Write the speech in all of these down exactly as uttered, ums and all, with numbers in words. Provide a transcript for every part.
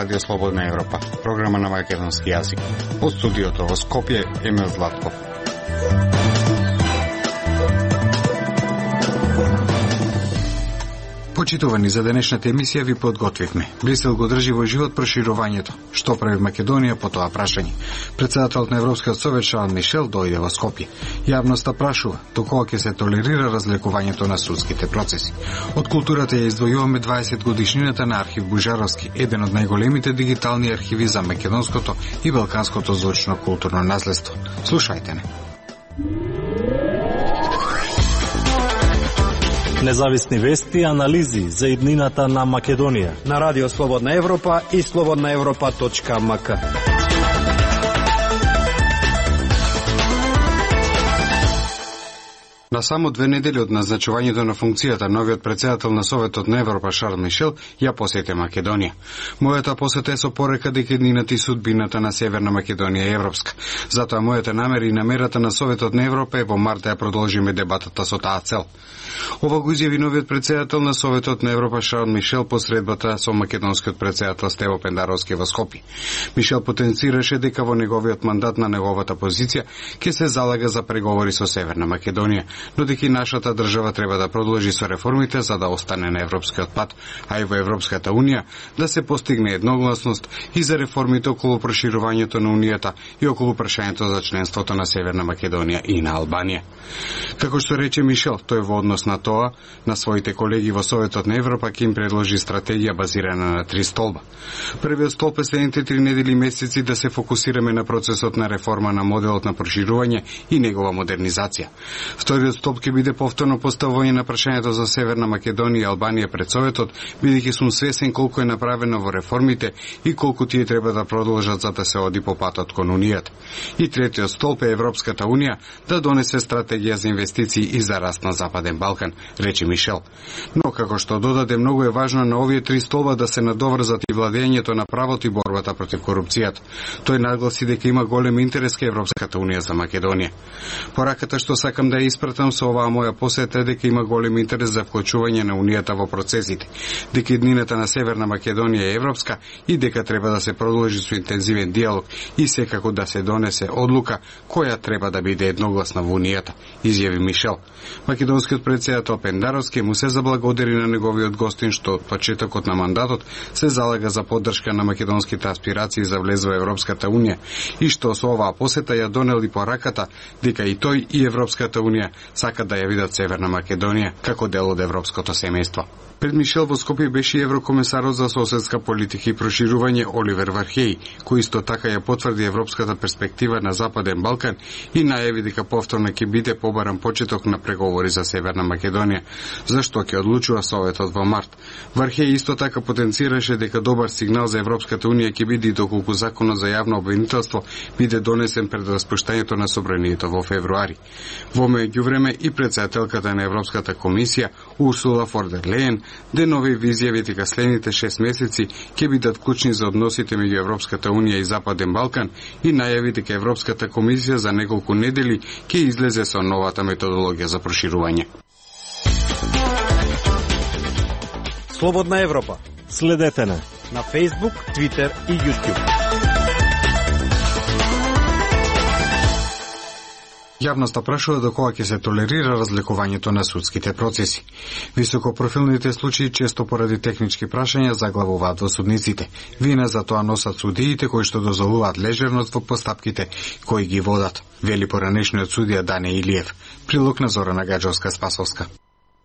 Радио Слободна Европа, програма на македонски јазик. Од студиото во Скопје, Емил Златков. Почитувани, за денешната емисија ви подготвивме. Брисел го држи во живот проширувањето. Што прави Македонија по тоа прашање? Претседателот на Европскиот совет Шарл Мишел дојде во Скопје. Јавноста прашува докога ќе се толерира разлекувањето на судските процеси. Од културата ја издвојуваме дваесет годишнината на архив Бужаровски, еден од најголемите дигитални архиви за македонското и балканското звучно културно наследство. Слушајте не. Независни вести и анализи за иднината на Македонија на Радио Слободна Европа и слободна европа точка ем ка. На само две недели од назначувањето на функцијата, новиот претседател на Советот на Европа Шарл Мишел ја посети Македонија. Мојата посета е со порека дека иднината и судбината на Северна Македонија е европска. Затоа мојата намера и намерата на Советот на Европа е во март да ја продолжиме дебатата со таа цел. Ова го изјави новиот претседател на Советот на Европа Шарл Мишел по средбата со македонскиот претседател Стево Пендаровски во Скопје. Мишел потенцираше дека во неговиот мандат на неговата позиција ќе се залага за преговори со Северна Македонија, но дека и нашата држава треба да продолжи со реформите за да остане на европскиот пат, а и во Европската Унија да се постигне едногласност и за реформите околу проширувањето на Унијата и околу прашањето за членството на Северна Македонија и на Албанија. Како што рече Мишел, тој во однос на тоа, на своите колеги во Советот на Европа ќе им предложи стратегија базирана на три столба. Првиот столб е следните три недели и месеци да се фокусираме на процесот на реформа на моделот на проширување и негова модернизација. Вториот столб ќе биде повторно поставување на прашањето за Северна Македонија и Албанија пред Советот, бидејќи сум свесен колку е направено во реформите и колку тие треба да продолжат за да се оди по патот кон Унијата. И третиот столб е Европската Унија да донесе стратегија за инвестиции и за раст на Западен Балкан, рече Мишел. Но како што додаде, многу е важно на овие три столба да се надоврзат и владењето на правото и борбата против корупцијата. Тој нагласи дека има голем интерес кај Европската Унија за Македонија. Пораката што сакам да ја испратам со оваа моја посета е дека има голем интерес за вклучување на Унијата во процесите, дека иднината на Северна Македонија е европска и дека треба да се продолжи со интензивен диалог и секако да се донесе одлука која треба да биде едногласна во Унијата, изјави Мишел. Македонскиот претседател Пендаровски му се заблагодари на неговиот гостин што од почетокот на мандатот се залага за поддршка на македонските аспирации за влез во Европската Унија и што со оваа посета ја донел и пораката дека и тој и Европската Унија сакат да ја видат Северна Македонија како дел од европското семејство. Пред Мишел во Скопје беше еврокомесарот за соседска политика и проширување Оливер Вархеј, кој исто така ја потврди европската перспектива на Западен Балкан и најави дека повторно ќе биде побаран почеток на преговори за Северна Македонија, зашто ќе одлучува Советот во март. Вархеј исто така потенцираше дека добар сигнал за Европската Унија ќе биде и доколку законот за јавно обвинителство биде донесен пред распуштањето на собранието во февруари. Во меѓувреме и претседателката на Европската комисија Урсула фон дер Лејен денови изјави дека следните шест месеци ќе бидат клучни за односите меѓу Европската Унија и Западен Балкан и најави дека Европската комисија за неколку недели ќе излезе со новата методологија за проширување. Слободна Европа. Следете на на Facebook, Twitter и YouTube. Јавноста прашува докога ќе се толерира разликувањето на судските процеси. Високопрофилните случаи често поради технички прашања заглавуваат во судниците. Вина за тоа носат судиите кои што дозволуваат лежерност во постапките кои ги водат, вели поранешниот судија Дане Илиев. Прилог на Зорана Гаджовска-Спасовска.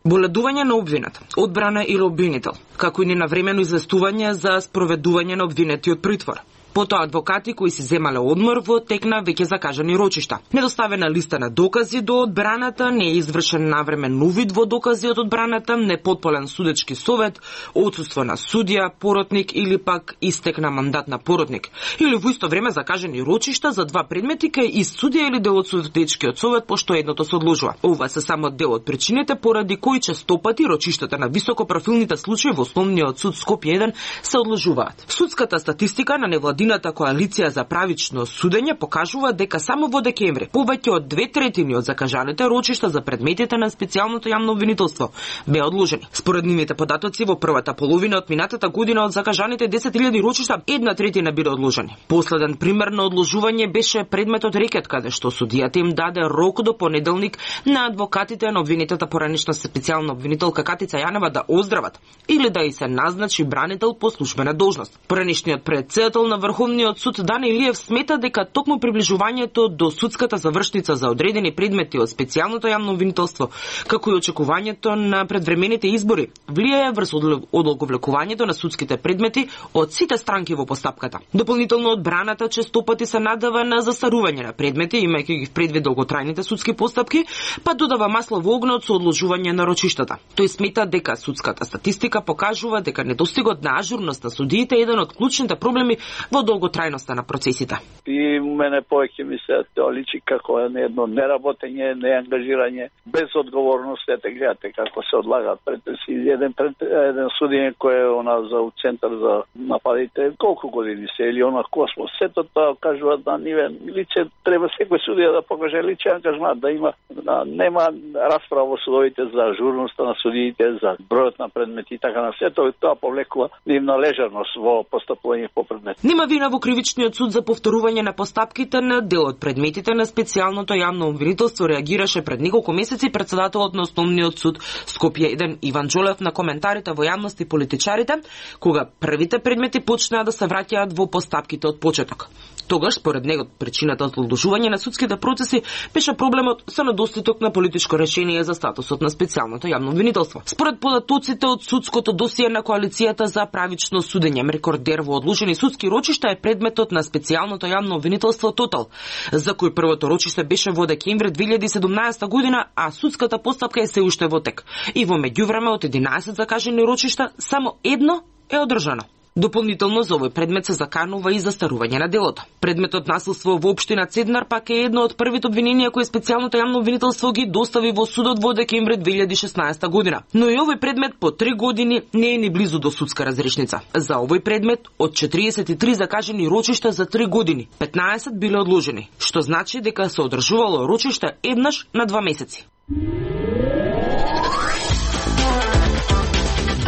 Боледување на обвинет, одбрана или обвинител, како и ненавремено известување за спроведување на обвинетиот притвор. Потоа адвокати кои си земале одмор во тек на веќе закажани рочишта. Недоставена листа на докази до одбраната, не е извршен навремен увид во докази од одбраната, непотполен судечки совет, отсуство на судија, поротник или пак истек на мандат на поротник. Или во исто време закажани рочишта за два предмети кај ист судија или дел од судечкиот совет, пошто едното се одложува. Ова се само дел од причините поради кои честопати рочиштата на високопрофилните случаи во Основниот суд Скопје еден се одложуваат. Судската статистика на невладините Владината коалиција за правично судење покажува дека само во декември повеќе од две третини од закажаните рочишта за предметите на специјалното јавно обвинителство беа одложени. Според нивните податоци во првата половина од минатата година од закажаните десет илјади рочишта една третина биле одложени. Последен пример на одложување беше предметот рекет, каде што судијата им даде рок до понеделник на адвокатите на обвинетата поранешна специјална обвинителка Катица Јанева да оздрават или да и се назначи бранител по службена должност. Поранешниот председател на Врховниот суд Дани Илиев смета дека токму приближувањето до судската завршница за одредени предмети од специјалното јавно обвинителство, како и очекувањето на предвремените избори, влијае врз одолговлекувањето на судските предмети од сите странки во постапката. Дополнително одбраната честопати се надава на застарување на предмети, имајќи ги в предвид долготрајните судски постапки, па додава масло во огнот со одложување на рочиштата. Тој смета дека судската статистика покажува дека недостигот на ажурност на судиите е еден од клучните проблеми во долготрајноста на процесите. И мене повеќе ми се тоа личи како едно неработење, неангажирање, без одговорност. Ете гледате како се одлагаат претреси. Еден пред, еден судиње кој е она за центар за нападите, колку години се или она Космос. Сето тоа кажува да ниве личе треба секој судија да покаже личен ангажмент, да има да нема расправа во судовите за ажурноста на судиите, за бројот на предмети и така на сето, тоа повлекува нивна лежерност во постапување по предмети. Нема вина во кривичниот суд за повторување на постапките на дел од предметите на специјалното јавно обвинителство, реагираше пред неколку месеци председателот на Основниот суд Скопје еден Иван Џолев на коментарите во јавност и политичарите, кога првите предмети почнаа да се враќаат во постапките од почеток. Тогаш, според него, причината од одложување на судските процеси беше проблемот со недостаток на политичко решение за статусот на специјалното јавно обвинителство. Според податоците од судското досие на коалицијата за правично судење, рекордер во одложени судски рочишта е предметот на специјалното јавно обвинителство Тотал, за кој првото рочиште беше во декември две илјади и седумнаесета година, а судската постапка е се уште во тек. И во меѓувреме од единаесет закажани рочишта, само едно е одржано. Дополнително за овој предмет се заканува и застарување на делото. Предметот насилство во општина Цеднар пак е едно од првите обвиненија кои специјалното јавно обвинителство ги достави во судот во декември две илјади и шеснаесета година. Но и овој предмет по три години не е ни близу до судска разрешница. За овој предмет од четириесет и три закажани рочишта за три години, петнаесет биле одложени, што значи дека се одржувало рочишта еднаш на два месеци.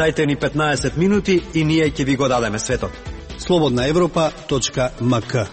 Дајте ни петнаесет минути и ние ќе ви го дадеме светот. слободна европа точка ем ка.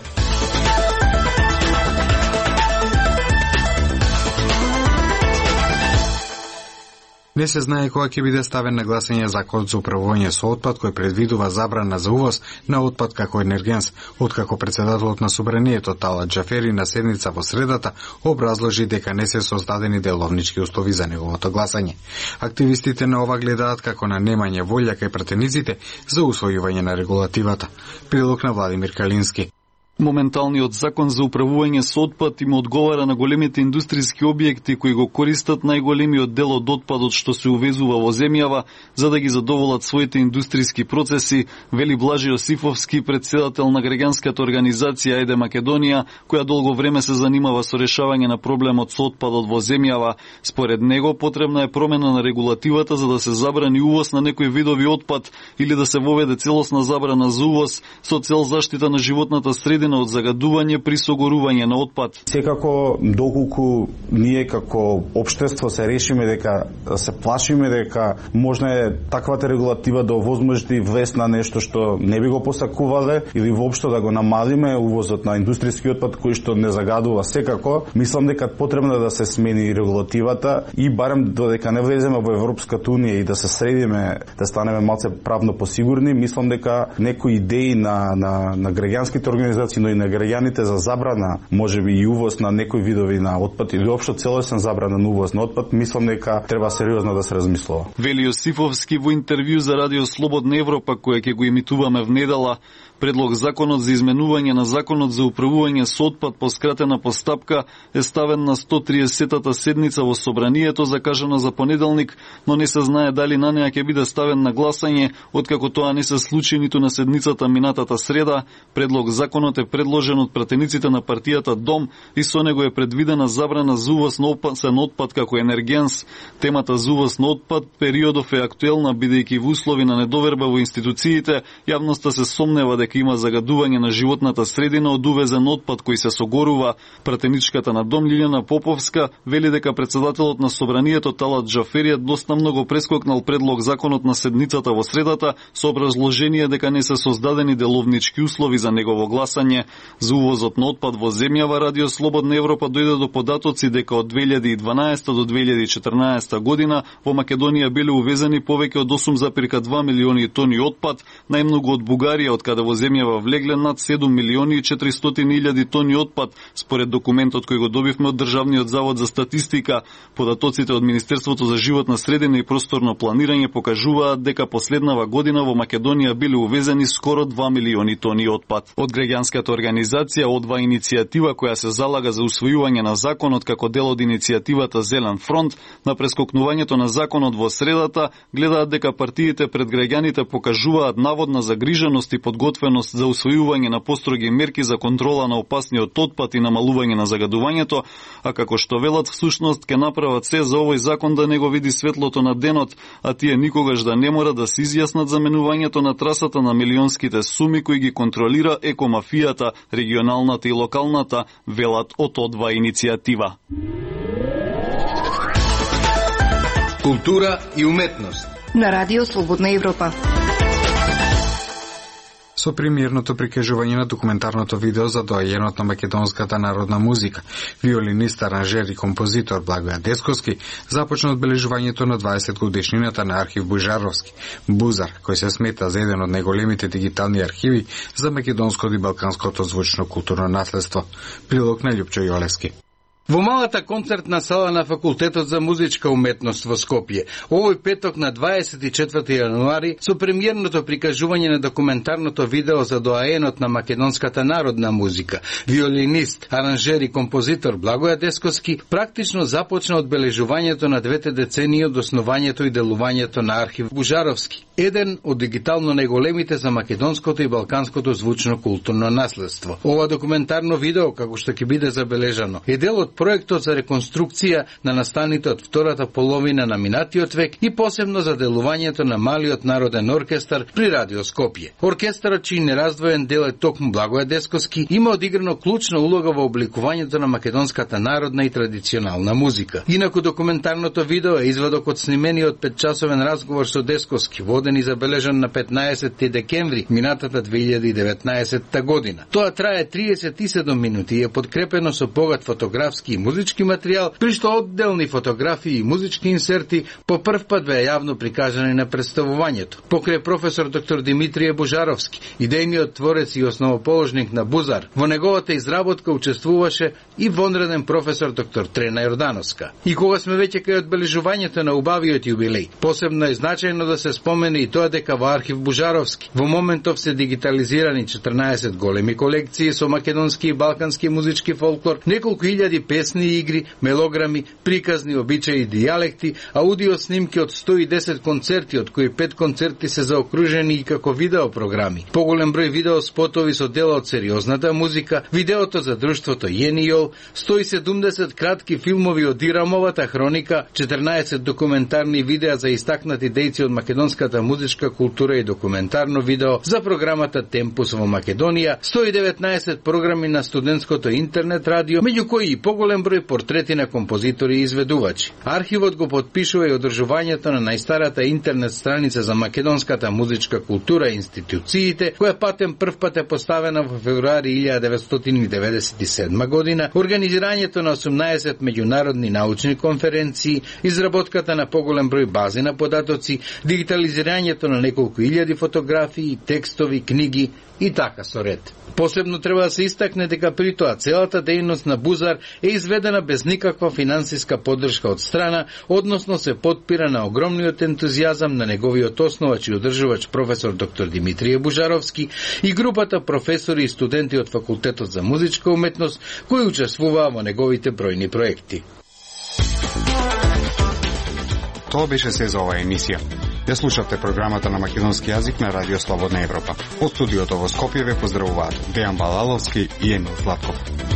Не се знае кога ќе биде ставен на гласање законот за управување со отпад кој предвидува забрана за увоз на отпад како енергенс, откако председателот на Собранието Талат Џафери на седница во средата образложи дека не се создадени деловнички услови за неговото гласање. Активистите на ова гледаат како на немање волја кај пратениците за усвојување на регулативата. Прилог на Владимир Калински. Моменталниот закон за управување со отпад им одговара на големите индустријски објекти кои го користат најголемиот дел од отпадот што се увезува во земјава за да ги задоволат своите индустријски процеси, вели Блажи Јосифовски, председател на граѓанската организација Ајде Македонија, која долго време се занимава со решавање на проблемот со отпадот во земјава. Според него потребна е промена на регулативата за да се забрани увоз на некои видови отпад или да се воведе целосна забрана за увоз со цел заштита на животната средина од загадување при согорување на отпад. Секако, доколку ние како општество се решиме дека се плашиме дека можна е таквата регулатива да овозможи влез на нешто што не би го посакувале или воопшто да го намалиме увозот на индустријски отпад кој што не загадува, секако мислам дека потребно да се смени регулативата и барем додека не влеземе во Европската унија и да се средиме, да станеме малце правно посигурни, мислам дека некои идеи на на на граѓанските организации, но и на граѓаните за забрана, можеби и увоз на некои видови на отпад или општо целосен забрана на увоз на отпад, мислам дека треба сериозно да се размислува. Вели Јосифовски во интервју за Радио Слободна Европа, која ќе го емитуваме внедела. Предлог законот за изменување на законот за управување со отпад по скратена постапка е ставен на сто триесеттата седница во Собранието, закажана за понеделник, но не се знае дали на неа ќе биде ставен на гласање, откако тоа не се случи ниту на седницата минатата среда. Предлог законот е предложен од пратениците на партијата Дом и со него е предвидена забрана за увоз на опасен отпад како енергенс. Темата за увоз на отпад периодов е актуелна, бидејќи во услови на недоверба во институциите, јавноста се сомнева дека дека има загадување на животната средина од увезен отпад кој се согорува. Пратеничката на Дом Лиljana Поповска вели дека председателот на собранието Талат Џафери доста многу прескокнал предлог законот на седницата во средата со образложение дека не се создадени деловнички услови за негово гласање. За увозот на отпад во земјава Радио Слободна Европа дојде до податоци дека од две илјади и дванаесета до две илјади и четрнаесета година во Македонија биле увезени повеќе од осум зарез два милиони тони отпад, најмногу од Бугарија, од каде во земјава влегле над седум милиони и четиристотини илјади тони отпад, според документот кој го добивме од Државниот завод за статистика. Податоците од Министерството за животна средина и просторно планирање покажуваат дека последнава година во Македонија биле увезени скоро два милиони тони отпад. Од граѓанската организација Одва иницијатива која се залага за усвојување на законот како дел од иницијативата Зелен фронт, на прескокнувањето на законот во средата, гледаат дека партиите пред граѓаните покажуваат наводна загриженост и подготвеност за усвојување на построги мерки за контрола на опасниот отпад и намалување на загадувањето, а како што велат всушност ќе направат се за овој закон да не го види светлото на денот, а тие никогаш да не мора да се изјаснат за менувањето на трасата на милионските суми кои ги контролира екомафијата, регионалната и локалната, велат од Одва иницијатива. Култура и уметност на Радио Слободна Европа. Со премиерното прикажување на документарното видео за доајенот на македонската народна музика, виолинист, аранжер и композитор Благоја Десковски започна одбележувањето на дваесет годишнината на архив Бужаровски, Бузар, кој се смета за еден од најголемите дигитални архиви за македонското и балканското звучно културно наследство. Прилог на Љупчо Јолевски. Во малата концертна сала на Факултетот за музичка уметност во Скопје, овој петок на дваесет и четврти јануари, со премиерното прикажување на документарното видео за доаенот на македонската народна музика, виолинист, аранжер и композитор Благоја Десковски, практично започна одбележувањето на двете децении од основањето и делувањето на архив Бужаровски, еден од дигитално најголемите за македонското и балканското звучно културно наследство. Ова документарно видео, како што ќе биде забележано, е дел од проектот за реконструкција на настаните од втората половина на минатиот век и посебно за делувањето на Малиот народен оркестар при Радио Скопје. Оркестарот, чиј нераздвоен дел е токму Благоја Десковски, има одиграно клучна улога во обликувањето на македонската народна и традиционална музика. Инаку документарното видео е извадок од снимениот петчасовен разговор со Десковски, воден и забележан на петнаесети декември минатата две илјади и деветнаесетта година. Тоа трае триесет и седум минути и е подкрепено со богат фотографски и музички материјал, при што одделни фотографии и музички инсерти по прв пат беа јавно прикажани на представувањето. Покрај професор доктор Димитрije Бужаровски, идејниот творец и основоположник на Бузар, во неговата изработка учествуваше и вонреден професор доктор Трена Јордановска. И кога сме веќе кај одбележувањето на убавиот јубилеј, посебно е значајно да се спомене и тоа дека во архив Бужаровски во моментов се дигитализирани четрнаесет големи колекции со македонски и балкански музички фолклор, неколку илјади песни и игри, мелограми, приказни, обичаи и дијалекти, аудио снимки од сто и десет концерти, од кои пет концерти се заокружени и како видео програми. Поголем број видео спотови со дела од сериозната музика, видеото за друштвото Јенијол, сто и седумдесет кратки филмови од Ирамовата хроника, четрнаесет документарни видеа за истакнати дејци од македонската музичка култура и документарно видео за програмата Темпус во Македонија, сто и деветнаесет програми на студентското интернет радио, меѓу кои и поголем број портрети на композитори и изведувачи. Архивот го подпишува и одржувањето на најстарата интернет страница за македонската музичка култура и институциите, која патем прв пат е поставена во февруари илјада деветстотини и деветдесет и седма година, организирањето на осумнаесет меѓународни научни конференции, изработката на поголем број бази на податоци, дигитализирањето на неколку илјади фотографии, текстови, книги и така со ред. Посебно треба да се истакне дека при тоа целата дејност на Бузар е изведена без никаква финансиска поддршка од страна, односно се потпира на огромниот ентузијазам на неговиот основач и одржувач професор доктор Димитрije Бужаровски и групата професори и студенти од Факултетот за музичка уметност кои учествуваа во неговите бројни проекти. Тоа беше се за оваа емисија. Ја слушавте програмата на македонски јазик на Радио Слободна Европа. Од студиото во Скопје ве поздравуваат Дејан Балаловски и Емил Златков.